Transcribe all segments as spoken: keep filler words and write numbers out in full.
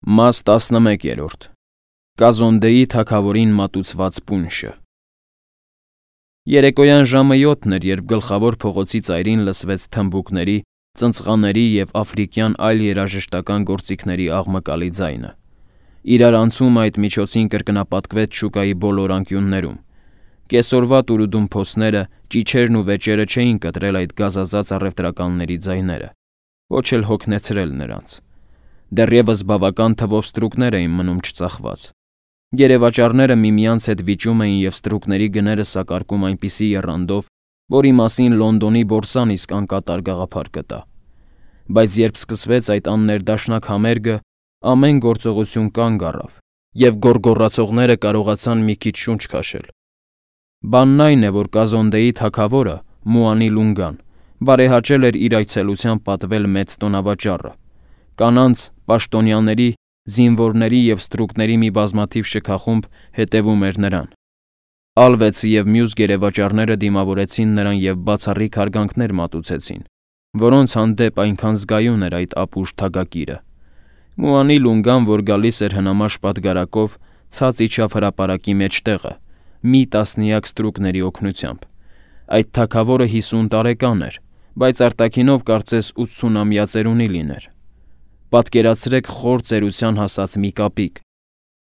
Մաս տասնմեկերորդ Կազոնդեի թագավորին մատուցված պունշը Երեկոյան ժամը յոթն էր, երբ գլխավոր փողոցի ծայրին լսվեց թմբուկների, ծնծղաների և աֆրիկյան այլ երաժշտական գործիքների աղմկալի ձայնը։ Իրար անցումը այդ միջոցին կրկնապատկվեց շուկայի բոլոր անկյուններում։ Կեսօրվա տուրուդումփոսները, ճիչերն ու վեճերը չէին կտրել այդ գազազած առևտրականների ձայները, ոչ էլ հոգնեցրել նրանց։ Դեռևս բավական թվով ստրուկներ էին մնում չծախված։ Գերեվաճառները միմյանց հետ վիճում էին և ստրուկների գները սակարկում այնպիսի եռանդով, որի մասին Լոնդոնի բորսան իսկ անկատար գաղափար կտա։ Բայց երբ սկսվեց այդ աններդաշնակ համերգը, ամեն գործողություն կանգ առավ, և գոռգոռացողները կարողացան մի քիչ շունչ քաշել։ Բանն այն է, որ Կազոնդեի թագավորը՝ Մուանի Լունգան, բարեհաճել էր իր այցելությամբ պատվել մեծ տոնավաճառը։ Կանանց, պաշտոնյաների, զինվորների և ստրուկների մի բազմաթիվ շքախումբ հետևում էր նրան։ Ալվեցը և մյուս գերեվաճառները դիմավորեցին նրան և բացառիկ հարգանքներ մատուցեցին, որոնց հանդեպ այնքան զգայուն էր այդ ապուշ թագակիրը։ Մուանի Լունգան, որ գալիս էր հնամաշ պատգարակով, ցած իջավ հրապարակի մեջտեղը, մի տասնյակ ստրուկների օգնությամբ։ Այդ թագավորը հիսուն տարեկան էր, բայց արտաքինով կարծես ութսունամյա ծերունի լիներ։ Պատկերացրեք խոր ծերության հասած մի կապիկ։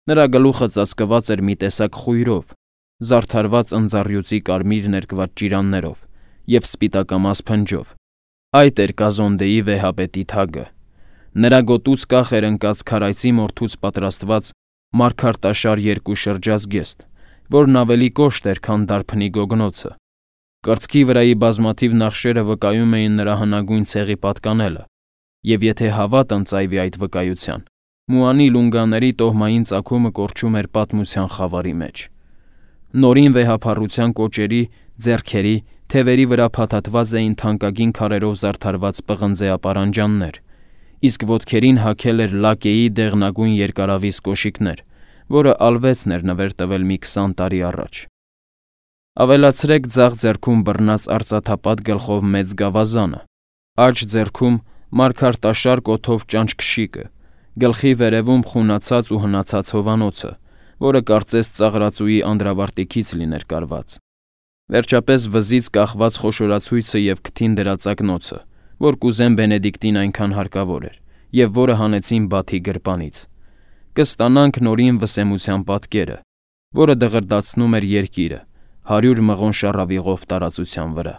Նրա գլուխը ծածկված էր մի տեսակ խույրով, զարդարված ընձառյուծի կարմիր ներկված ճիրաններով և սպիտակամաս փնջով։ Այդ էր Կազոնդեի վեհապետի թագը։ Նրա գոտուց կախ էր ընկած քարայծի մորթուց պատրաստված մարգարտաշար երկու շրջազգեստ, որն ավելի կոշտ էր, քան դարբնի գոգնոցը։ Կրծքի վրայի բազմաթիվ նախշերը վկայում էին նրա հնագույն ցեղի պատկանելը, և եթե հավատ ընծայվի այդ վկայության, Մուանի Լունգաների տոհմային ծագումը կորչում էր պատմության խավարի մեջ։ Նորին վեհափառության կոճերի, ձեռքերի, թևերի վրա փաթաթված էին թանկագին քարերով զարդարված պղնձե ապարանջաններ, իսկ ոտքերին հագել էր լակեի դեղնագույն երկարավիզ կոշիկներ, որը ալվեցն էր նվեր տվել մի քսան տարի առաջ։ Ավելացրեք ձախ ձեռքում բռնած արծաթապատ գլխով մեծ գավազանը, աջ ձեռքում մարգարտաշար կոթով ճանճ կշիկը, գլխի վերևում խունացած ու հնացած հովանոցը, որը կարծես ծաղրածուի անդրավարտիքից լիներ կարված։ Վերջապես վզից կախված խոշորացույցը և քթին դրած ակնոցը, որ կուզեն Բենեդիկտին այնքան հարկավոր էր, և որը հանեցին Բաթի գրպանից։ Կստանանք նորին վսեմության պատկերը, որը դղրդացնում էր երկիրը հարյուր մղոն շառավիղով տարածության վրա։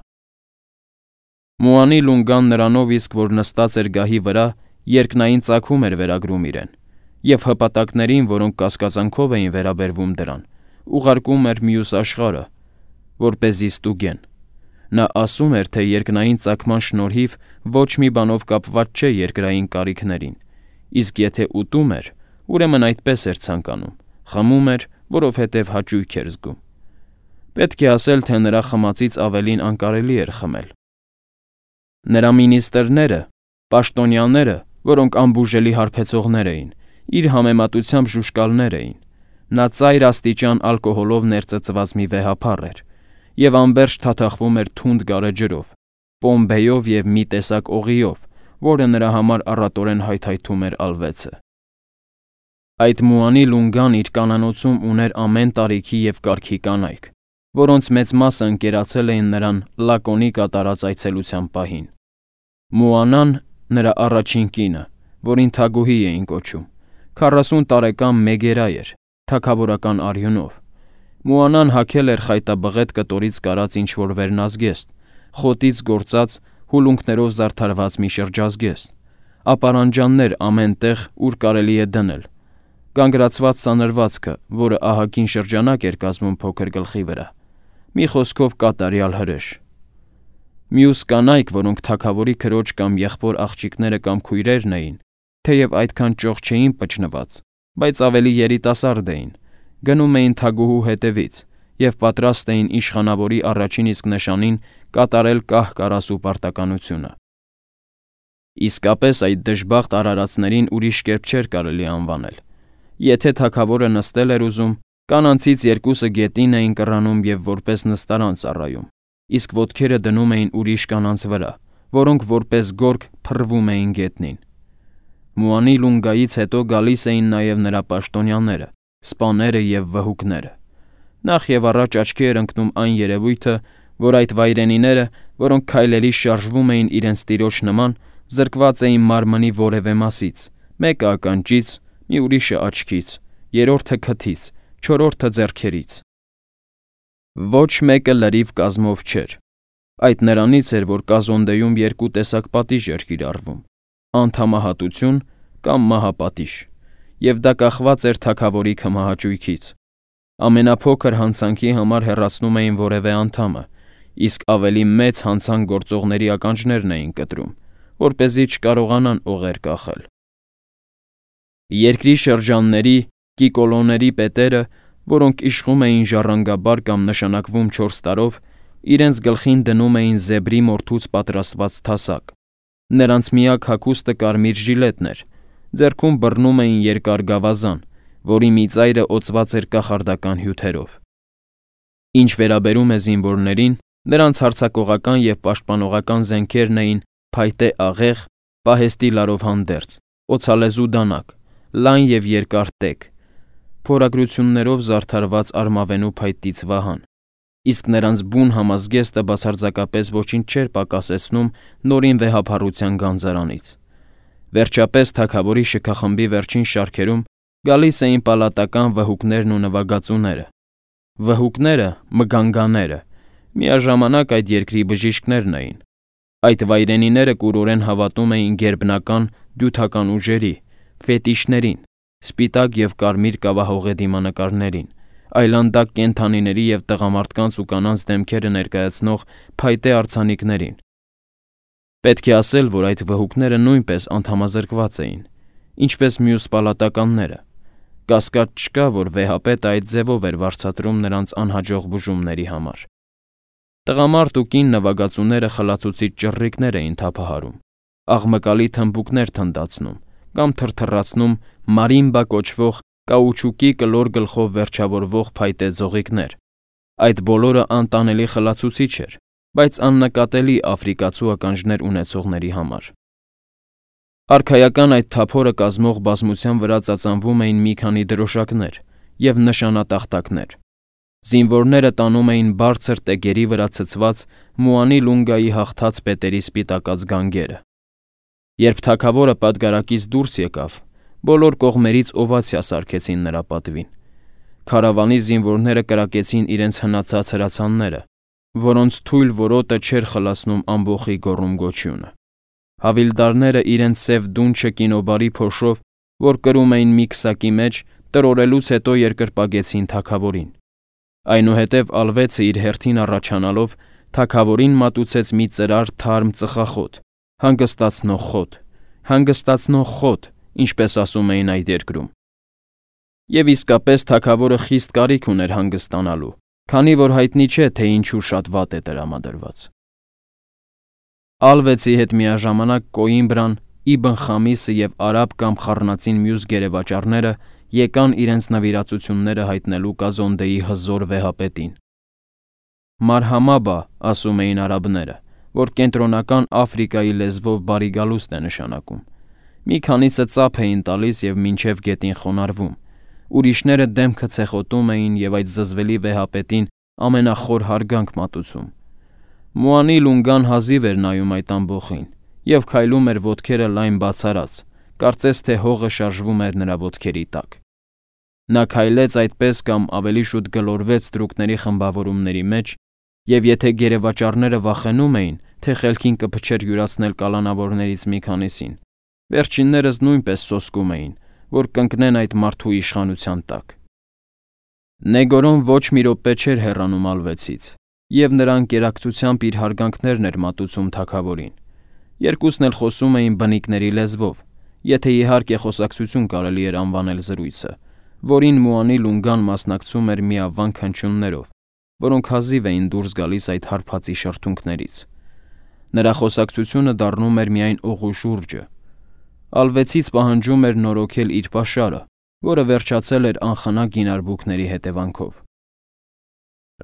Մուանի Լունգան նրանով իսկ, որ նստած էր գահի վրա, երկնային ծագում էր վերագրում իրեն, և հպատակներին, որոնք կասկածանքով էին վերաբերվում դրան, ուղարկում էր մյուս աշխարհը, որպեսզի ստուգեն։ Նա ասում էր, թե երկնային ծագման շնորհիվ ոչ մի բանով կապված չէ երկրային կարիքներին, իսկ եթե ուտում էր, ուրեմն այդպես էր ցանկանում, խմում էր, որովհետև հաճույք էր զգում։ Պետք է ասել, թե նրա խմածից ավելին անկարելի էր խմել։ Նրա մինիստրները, պաշտոնյաները, որոնք անբուժելի հարբեցողներ էին, իր համեմատությամբ ժուժկալներ էին։ Նա ծայր աստիճան ալկոհոլով ներծծված մի վեհափառ էր և անվերջ թաթախվում էր թունդ գարեջրով, պոմբեյով և մի տեսակ օղիով, որը նրա համար առատորեն հայթայթում էր ալվեցը։ Այդ Մուանի Լունգան իր կանանոցում ուներ ամեն տարիքի և կարգի կանայք, որոնց մեծ մասը ընկերացել էին նրան Լակոնի կատարած այցելության պահին։ Մուանան, նրա առաջին կինը, որին Թագուհի էին կոչում, քառասուն տարեկան մեգերա էր, թագավորական արյունով։ Մուանան հագել էր խայտաբղետ կտորից կարած ինչ-որ վերնազգեստ, խոտից գործած, հուլունքներով զարդարված մի շրջազգեստ, ապարանջաններ ամեն տեղ, ուր կարելի է դնել, կանգրացված սանրվածքը, որը ահագին շրջանակ էր կազմում փոքր գլխի վրա, մի խոսքով կատարյալ հրեշ։ Մյուս կանայք, որոնք թագավորի քրոջ կամ եղբոր աղջիկները կամ քույրերն էին, թեև այդքան ճոխ չէին պճնված, բայց ավելի երիտասարդ էին, գնում էին թագուհու հետևից և պատրաստ էին իշխանավորի առաջին իսկ նշանին կատարել կահ-կարասու պարտականությունը։ Իսկապես այդ դժբախտ արարածներին ուրիշ կերպ չէր կարելի անվանել։ Եթե թագավորը նստել էր ուզում, կանանցից երկուսը գետին էին կռանում և որպես նստարան ծառայում, իսկ ոտքերը դնում էին ուրիշ կանանց վրա, որոնք որպես գորգ փռվում էին գետնին։ Մուանի Լունգայից հետո գալիս էին նաև նրա պաշտոնյաները, սպաները և վհուկները։ Նախ և առաջ աչքի էր ընկնում այն երևույթը, որ այդ վայրենիները, որոնք քայլերի շարժվում էին իրենց տիրոջ նման, զրկված էին մարմնի որևէ մասից, մեկը ականջից, մի ուրիշը աչքից, երրորդը քթից, չորրորդը ձեռքերից։ Ոչ մեկը լրիվ կազմով չէր։ Այդ նրանից էր, որ Կազոնդեում երկու տեսակ պատիժ էր կիրառվում՝ անդամահատություն կամ մահապատիժ, և դա կախված էր թագավորի քմահաճույքից։ Ամենափոքր հանցանքի համար հեռացնում էին որևէ անդամը, իսկ ավելի մեծ հանցանք գործողների ականջներն էին կտրում, որպեսզի չկարողանան օղեր կախել։ Երկրի շրջանների, կիկոլոների պետերը, որոնք իշխում էին ժառանգաբար կամ նշանակվում չորս տարով, իրենց գլխին դնում էին զեբրի մորթուց պատրաստված թասակ։ Նրանց միակ հագուստը կարմիր ժիլետն էր, ձեռքում բռնում էին երկար գավազան, որի մի ծայրը օծված էր կախարդական հյութերով։ Ինչ վերաբերում է զինվորներին, նրանց հարձակողական և պաշտպանողական զենքերն էին փայտե աղեղ, պահեստի լարով հանդերձ, օձալեզու դանակ, լայն և երկար տեգ, փորագրություններով զարդարված արմավենու փայտից վահան, իսկ նրանց բուն համազգեստը բացարձակապես ոչինչ չէր պակասեցնում նորին վեհափառության գանձարանից։ Վերջապես թագավորի շքախմբի վերջին շարքերում գալիս էին պալատական վհուկներն ու նվագածուները։ Վհուկները, մգանգաները, միաժամանակ այդ երկրի բժիշկներն էին։ Այդ վայրենիները կուրորեն հավատում էին գերբնական դյութական ուժերի, ֆետիշներին, սպիտակ և կարմիր կավահողե դիմանկարներին, այլանդակ կենդանիների և տղամարդկանց ու կանանց դեմքերը ներկայացնող փայտե արձանիկներին։ Պետք է ասել, որ այդ վհուկները նույնպես անդամազրկված էին, ինչպես մյուս պալատականները։ Կասկած չկա, որ վեհապետը այդ ձևով էր վարձատրում նրանց անհաջող բուժումների համար։ Տղամարդ ու կին նվագածուները խլացուցիչ ճռռիկներ էին թափահարում, աղմկալի թմբուկներ թնդացնում կամ թրթռացնում մարիմբա կոչվող կաուչուկի կլոր գլխով վերջավորվող փայտե ձողիկներ։ Այդ բոլորը անտանելի խլացուցիչ էր, բայց աննկատելի աֆրիկացու ականջներ ունեցողների համար։ Արքայական այդ թափորը կազմող բազմության վրա ծածանվում էին մի քանի դրոշակներ և նշանատախտակներ։ Զինվորները տանում էին բարձր տեգերի վրա ցցված Մուանի Լունգայի հաղթած պետերի սպիտակած գանգերը։ Երբ թագավորը պատգարակից դուրս եկավ, բոլոր կողմերից օվացիա սարքեցին նրա պատվին։ Քարավանի զինվորները կրակեցին իրենց հնացած հրացանները, որոնց թույլ որոտը չէր խլացնում ամբոխի գոռում-գոչյունը։ Հավիլդարները իրենց սև դունչը կինոբարի փոշով, որ կրում էին մի քսակի մեջ, տրորելուց հետո երկրպագեցին թագավորին։ Այնուհետև ալվեցը իր հերթին առաջանալով թագավորին մատուցեց մի ծրար թարմ ծխախոտ, հանգստացնող խոտ, հանգստացնող խոտ, ինչպես ասում էին այդ երկրում։ Եվ իսկապես թագավորը խիստ կարիք ուներ հանգստանալու, քանի որ հայտնի չէ, թե ինչու շատ վատ է տրամադրված։ Ալվեցի հետ միաժամանակ Կոիմբրան, Իբն Խամիսը և արաբ կամ խառնածին մյուս գերեվաճառները եկան իրենց նվիրացությունները հայտնելու Կազոնդեի հզոր վեհապետին։ Մարհամաբա, ասում էին արաբները, որ կենտրոնական Աֆրիկայի լեզվով բարի գալուստ է նշանակում։ Մի քանիսը ծափ էին տալիս և մինչև գետին խոնարհվում, ուրիշները դեմքը ցեխոտում էին և այդ զզվելի վեհապետին ամենախոր հարգանք մատուցում։ Մուանի Լունգան հազիվ էր նայում այդ ամբոխին և քայլում էր ոտքերը լայն բացարած, կարծես թե հողը շարժվում էր նրա ոտքերի տակ։ Նա քայլեց այդպես կամ ավելի շուտ գլորվեց ստրուկների խմբավորումների մեջ, և եթե գերեվաճառները վախենում էին, թե խելքին կփչեր յուրացնել կալանավորներից մի քանիսին, վերջիններս նույնպես սոսկում էին, որ կընկնեն այդ մարդու իշխանության տակ։ Նեգորոն ոչ մի րոպե չէր հեռանում ալվեցից, և նրա անկերակցությամբ իր հարգանքներն էր մատուցում թագավորին։ Երկուսն էլ խոսում էին բնիկների լեզվով, եթե իհարկե խոսակցություն կարելի էր անվանել զրույցը, որին Մուանի Լունգան մասնակցում էր միավանք հնչյուններով, որոնք հազիվ էին դուրս գալիս այդ հարբածի շրթունքներից։ Նրա խոսակցությունը դառնում էր միայն օղու շուրջը։ Ալվեցից պահանջում էր նորոգել իր պաշարը, որը վերջացել էր անխնա գինարբուքների հետևանքով։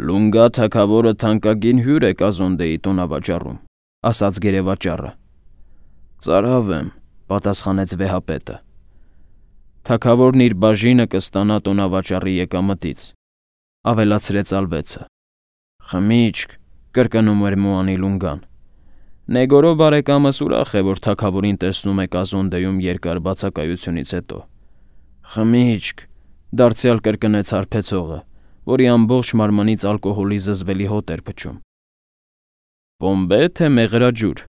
Լունգա թագավորը թանկագին հյուր է Կազոնդեի տոնավաճառում, ասաց գերեվաճառը։ Ծարավ եմ, պատասխանեց վեհապետը։ Թագավորն իր բաժինը կստանա տոնավաճառի եկամտից, ավելացրեց ալվեցը։ Խմիչք, կրկնում էր Մուանի Լունգան։ Նեգորո բարեկամս ուրախ է, որ թագավորին տեսնում է Կազոնդեում երկար բացակայությունից հետո։ Խմիչք, դարձյալ կրկնեց հարբեցողը, որի ամբողջ մարմնից ալկոհոլի զզվելի հոտ էր փչում։ Բոմբե թե մեղրաջուր,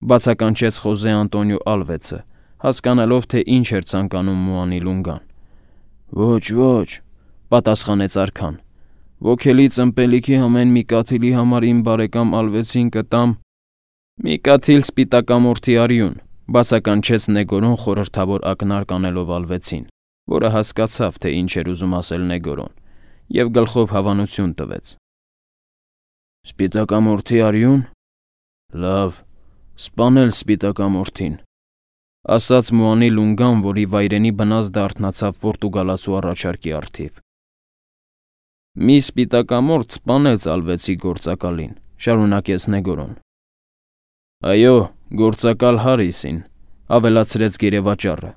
բացականչեց Խոզե Անտոնիո Ալվեցը, հասկանալով, թե ինչ էր ցանկանում Մուանի Լունգան։ Ոչ, ոչ, պատասխանեց արքան։ Ոգելի ծմպելիքի ամեն մի կաթիլի համար իմ բարեկամ Ալվեցին կտամ մի կաթիլ սպիտակամորթի արյուն, բացականչեց Նեգորոն խորհրդավոր ակնարկ անելով Ալվեցին, որը հասկացավ, թե ինչ էր ուզում ասել Նեգորոն, և գլխով հավանություն տվեց։ Սպիտակամորթի արյուն։ Լավ, սպանել սպիտակամորթին, ասաց Մուանի Լունգան, որի վայրենի բնազդը արթնացավ պորտուգալացու առաջարկի առթիվ։ Մի սպիտակամորթ սպանեց Ալվեցի գործակալին, շարունակեց Նեգորոն։ Այո, գործակալ Հարիսին, ավելացրեց գերեվաճառը,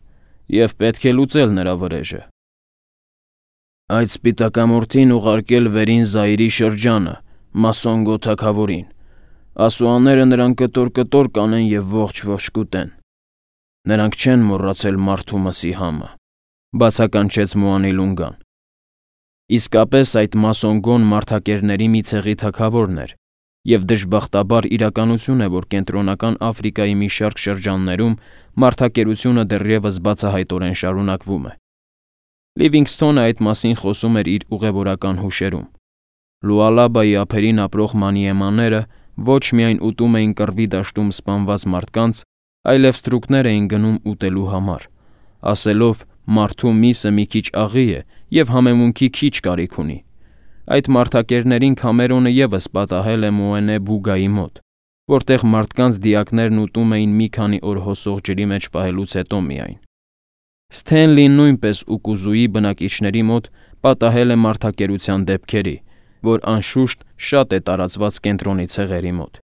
և պետք է լուծել նրա վրեժը։ Այդ սպիտակամորթին ուղարկել Վերին Զայրի շրջանը, Մասոնգո թագավորին։ Ասուաները նրան կտոր-կտոր կանեն և ողջ-ողջ կուտեն։ Նրանք չեն մոռացել մարդու մսի համը, բացականչեց Մուանի Լունգան։ Իսկապես այդ Մասոնգոն մարդակերների մի ցեղի թագավորն էր, և դժբախտաբար իրականություն է, որ Կենտրոնական Աֆրիկայի մի շարք շրջաններում մարդակերությունը դեռևս բացահայտորեն շարունակվում է։ Լիվինգսթոնը այդ մասին խոսում էր իր ուղևորական հուշերում։ Լուալաբայի ափերին ապրող մանիեմաները ոչ միայն ուտում էին կռվի դաշտում սպանված մարդկանց, այլև ստրուկներ էին գնում ուտելու համար, ասելով մարդու միսը մի քիչ աղի է և համեմունքի քիչ կարիք ունի։ Այդ մարդակերներին Քամերոնը ևս պատահել է Մոենե Բուգայի մոտ, որտեղ մարդկանց դիակներն ուտում էին մի քանի օր հոսող ջրի մեջ պահելուց հետո միայն։ Սթենլին նույնպես Ուկուզուի բնակիչների մոտ պատահել է մարդակերության դեպքերի, որ անշուշտ շատ է տարածված կենտրոնի ցեղերի մոտ։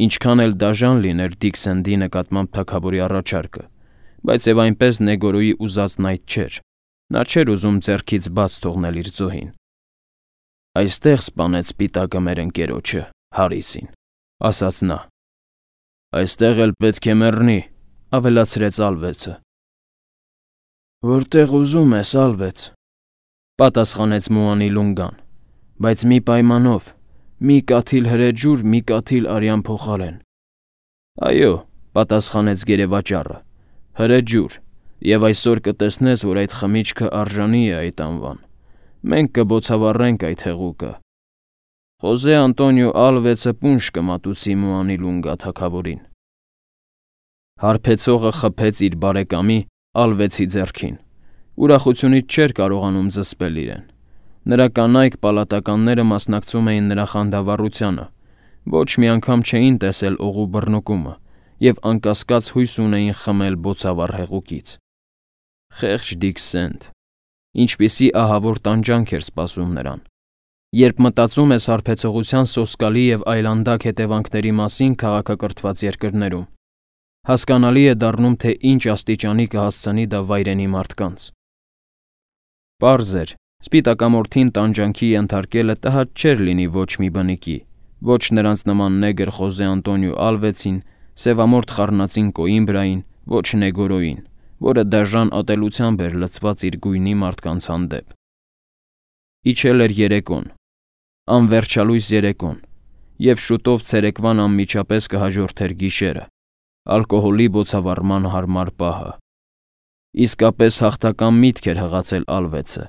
Ինչքան էլ դաժան լիներ Դիքսենդի նկատմամբ թագավորի առաջարկը, բայց եւ այնպես Նեգորոյի ուզածն այդ չէր։ Նա չէր ուզում ձեռքից բաց թողնել իր զոհին։ Այստեղ սպանեց սպիտակը մեր ընկերոջը, Հարիսին, ասաց նա։ Այստեղ էլ պետք է մեռնի, ավելացրեց Ալվեցը։ Որտեղ ուզում ես, Ալվեց, պատասխանեց Մուանի Լունգան, բայց մի պայմանով, մի կաթիլ հրեջուր, մի կաթիլ արյան փոխարեն։ Այո, պատասխանեց գերեվաճառը, հրեջուր, և այսօր կտեսնես, որ այդ խմիչքը արժանի է այդ անվան։ Մենք կբոցավառենք այդ հեղուկը։ Խոզե Անտոնիո Ալվեցը պունշ կմատուցի Մուանի Լունգա թագավորին։ Հարբեցողը խփեց իր բարեկամի Ալվեցի ձեռքին։ Ուրախությունից չէր կարողանում զսպել իրեն։ Նրա կանայք պալատականները մասնակցում էին նրա խանդավառությանը, ոչ մի անգամ չէին տեսել օղու բռնկումը և անկասկած հույս ունեին խմել բոցավառ հեղուկից։ Խեղճ Դիքսենդ, ինչպիսի ահավոր տանջանք էր սպասում նրան։ Երբ մտածում ես հարբեցողության սոսկալի և այլանդակ հետևանքների մասին քաղաքակրթված երկրներում, հասկանալի է դառնում, թե ինչ աստիճանի կհասցնի դա վայրենի մարդկանց։ Պարզ էր, սպիտակամորթին տանջանքի ենթարկելը տհաճ չէր լինի ոչ մի բնիկի, ոչ նրանց նման նեգր Խոզե Անտոնիո Ալվեցին, սևամորթ խառնածին Կոիմբրային, ոչ Նեգորոյին, որը դաժան ատելությամբ էր լցված իր գույնի մարդկանց հանդեպ։ Իջել էր երեկոն, անվերջալույս երեկոն, և շուտով ցերեկվան անմիջապես կհաջորդեր գիշերը, ալկոհոլի բոցավառման հարմար պահը։ Իսկապես հաղթական միտք էր հղացել Ալվեցը,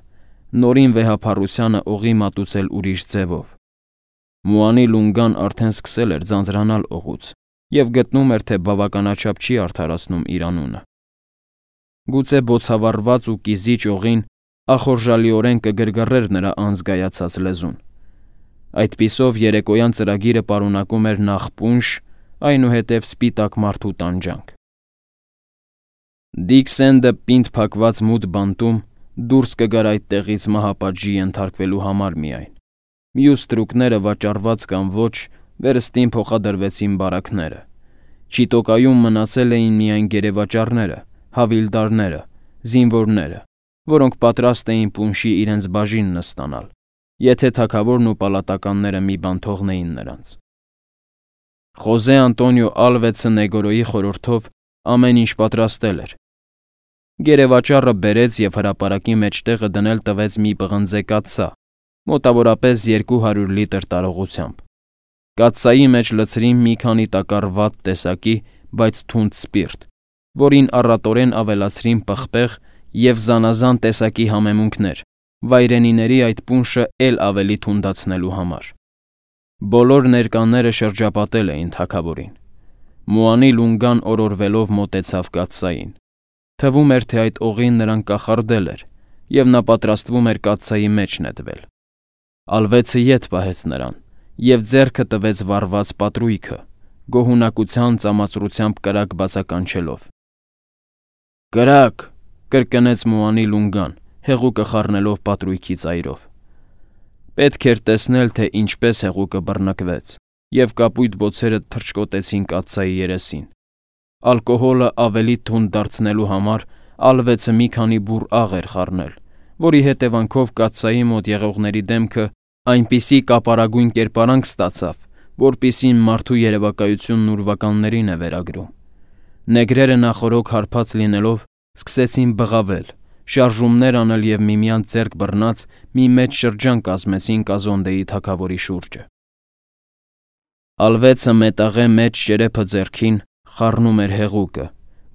նորին վեհափառությանը օղի մատուցել ուրիշ ձևով։ Մուանի Լունգան արդեն սկսել էր ձանձրանալ օղուց և գտնում էր, թե բավականաչափ չի արդարացնում իր անունը։ Գուցե բոցավառված ու կիզիչ օղին ախորժալիորեն կգրգռեր նրա անզգայացած լեզուն։ Այդպիսով երեկոյան ծրագիրը պարունակում էր նախ պունշ, այնուհետև սպիտակ մարդու տանջանք։ Դիքսենդը պինդ փակված մութ բանտում դուրս կգար այդ տեղից մահապատժի ենթարկվելու համար միայն։ Մյուս ստրուկները վաճառված կամ ոչ, վերստին փոխադրվեցին բարակները, Չիտոկայում մնացել էին միայն գերեվաճառները, հավիլդարները, զինվորները, որոնք պատրաստ էին պունշի իրենց բաժինն ստանալ, եթե թագավորն ու պալատականները մի բան թողնեին նրանց։ Խոզե Անտոնիո Ալվեցը Նեգորոյի խորհրդով ամեն ինչ պատրաստել էր։ Գերեվաճառը բերեց և հրապարակի մեջտեղը դնել տվեց մի պղնձե կաթսա, մոտավորապես երկու հարյուր լիտր տարողությամբ։ Կաթսայի մեջ լցրին մի քանի տակառ վատ տեսակի, բայց թունդ սպիրտ, որին առատորեն ավելացրին պղպեղ և զանազան տեսակի համեմունքներ, վայրենիների այդ պունշը էլ ավելի թունդացնելու համար։ Բոլոր ներկաները շրջապատել էին թագավորին։ Մուանի Լունգան օրորվելով մոտեցավ կաթսային։ Թվում էր, թե այդ օղին նրան կախարդել էր, և նա պատրաստվում էր կաթսայի մեջ նետվել։ Ալվեցը ետ պահեց նրան և ձեռքը տվեց վառված պատրույգը, գոհունակության ծամացրությամբ կրակ բացականչելով։ «Կրակ», կրկնեց Մուանի Լունգան, հեղուկը խառնելով պատրույգի ծայրով։ Պետք էր տեսնել, թե ինչպես հեղուկը բռնկվեց, և կապույտ բոցերը թռչկոտեցին կաթսայի երեսին։ Ալկոհոլը ավելի թունդ դարձնելու համար Ալվեցը մի քանի բուռ աղ էր խառնել, որի հետևանքով կաթսայի մոտ եղողների դեմքը այնպիսի կապարագույն կերպարանք ստացավ, որպիսին մարդու երևակայությունն ուրվականներին է վերագրում։ Նեգրերը նախօրոք հարբած լինելով սկսեցին բղավել, շարժումներ անել և միմյանց ձեռք բռնած մի մեծ շրջան կազմեցին Կազոնդեի թագավորի շուրջը։ Ալվեցը մետաղե մեծ շերեփը ձեռքին խառնում էր հեղուկը,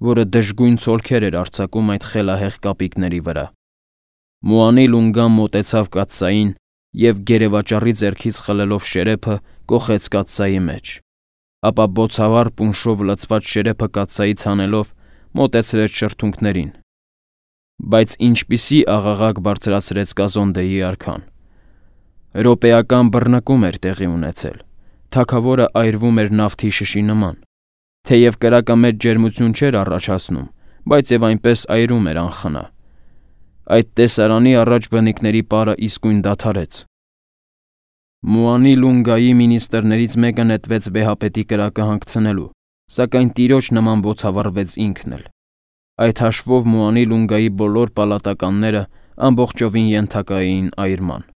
որը դժգույն ցոլքեր էր արձակում այդ խելահեղ կապիկների վրա։ Մուանի Լունգան մոտեցավ կաթսային և գերեվաճառի ձեռքից խլելով շերեփը կոխեց կաթսայի մեջ, ապա բոցավառ պունշով լցված շերեփը կաթսայից հանելով մոտեցրեց շրթունքներին։ Բայց ինչպիսի աղաղակ բարձրացրեց Կազոնդեի արքան։ Րոպեական բռնկում էր տեղի ունեցել, թագավորը այրվում էր նավթի շշի նման, թեև կրակը մեծ ջերմություն չէր առաջացնում, բայց և այնպես այրում էր անխնա։ Այդ տեսարանի առաջ բնիկների պարը իսկույն դադարեց։ Մուանի Լունգայի մինիստրներից մեկը նետվեց վեհապետի կրակը հանգցնելու, սակայն տիրոջ նման բոցավառվեց ինքն էլ։ Այդ հաշվով Մուանի Լունգայի բոլոր պալատականները ամբողջովին ենթակա էին այրման։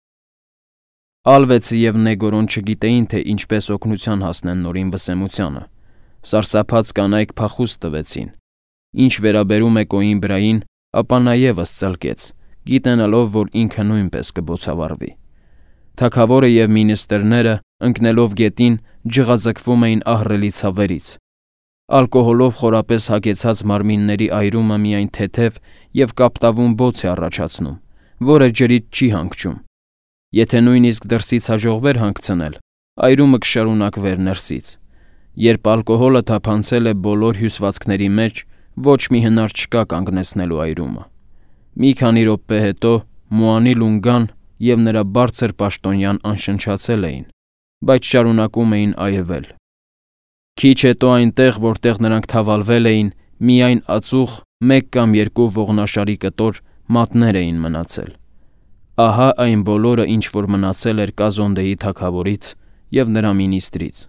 Ալվեցը և Նեգորոն չգիտեին, թե ինչպես օգնության հասնեն Նորին վսեմությանը։ Սարսափած կանայք փախուստ տվեցին։ Ինչ վերաբերում է Կոիմբրային, ապա նա ևս ծլկեց, գիտենալով, որ ինքը նույնպես կբոցավառվի։ Թագավորը և մինիստրները, ընկնելով գետին, ջղաձգվում էին ահռելի ցավերից։ Ալկոհոլով խորապես հագեցած մարմինների այրումը միայն թեթև և կապտավուն բոց է առաջացնում, որը ջրից չի հանգչում։ Եթե նույնիսկ դրսից հաջողվեր հանգցնել, այրումը կշարունակվեր ներսից։ Երբ ալկոհոլը թափանցել է բոլոր հյուսվածքների մեջ, ոչ մի հնար չկա կանգնեցնելու այրումը։ Մի քանի րոպե հետո Մուանի Լունգան և նրա բարձր պաշտոնյան անշնչացել էին, բայց շարունակում էին այրվել։ Քիչ հետո այնտեղ, որտեղ նրանք թավալվել էին, միայն ածուխ, մեկ կամ երկու ողնաշարի կտոր մատներ էին մնացել։ Ահա այն բոլորը, ինչ որ մնացել էր Կազոնդեի թագավորից և նրա մինիստրից։